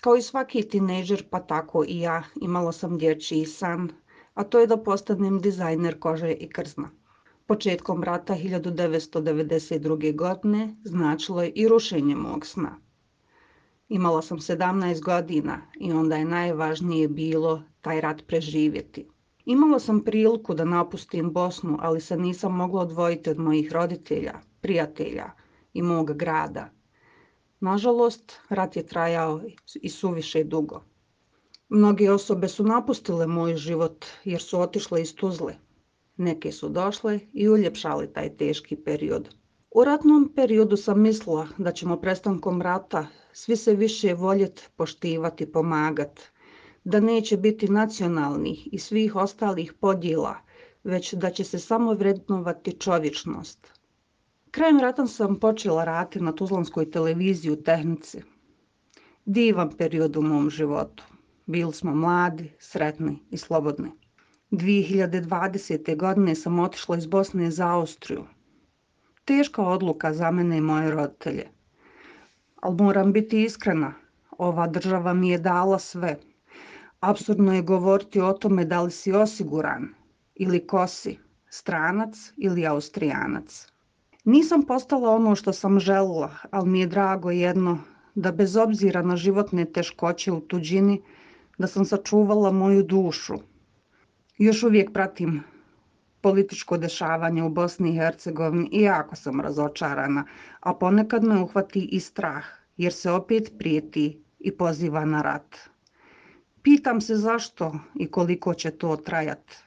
Kao i svaki tinejdžer, pa tako i ja, imala sam dječji san, a to je da postanem dizajner kože i krzna. Početkom rata 1992. godine značilo je i rušenje mog sna. Imala sam 17 godina i onda je najvažnije bilo taj rat preživjeti. Imala sam priliku da napustim Bosnu, ali se nisam mogla odvojiti od mojih roditelja, prijatelja i mog grada. Nažalost, rat je trajao i suviše dugo. Mnoge osobe su napustile moj život jer su otišle iz Tuzle. Neke su došle i uljepšale taj teški period. U ratnom periodu sam mislila da ćemo prestankom rata svi se više voljeti, poštivati, pomagati, da neće biti nacionalnih i svih ostalih podjela, već da će se samo vrednovati čovječnost. Krajem rata sam počela raditi na tuzlanskoj televiziji u tehnici. Divan period u mom životu. Bili smo mladi, sretni i slobodni. 2020. godine sam otišla iz Bosne za Austriju. Teška odluka za mene i moje roditelje. Ali moram biti iskrena, ova država mi je dala sve. Apsurdno je govoriti o tome da li si osiguran ili ko si, stranac ili Austrijanac. Nisam postala ono što sam željela, ali mi je drago jedno da bez obzira na životne teškoće u tuđini, da sam sačuvala moju dušu. Još uvijek pratim političko dešavanje u Bosni i Hercegovini i jako sam razočarana, a ponekad me uhvati i strah, jer se opet prijeti i poziva na rat. Pitam se zašto i koliko će to trajati.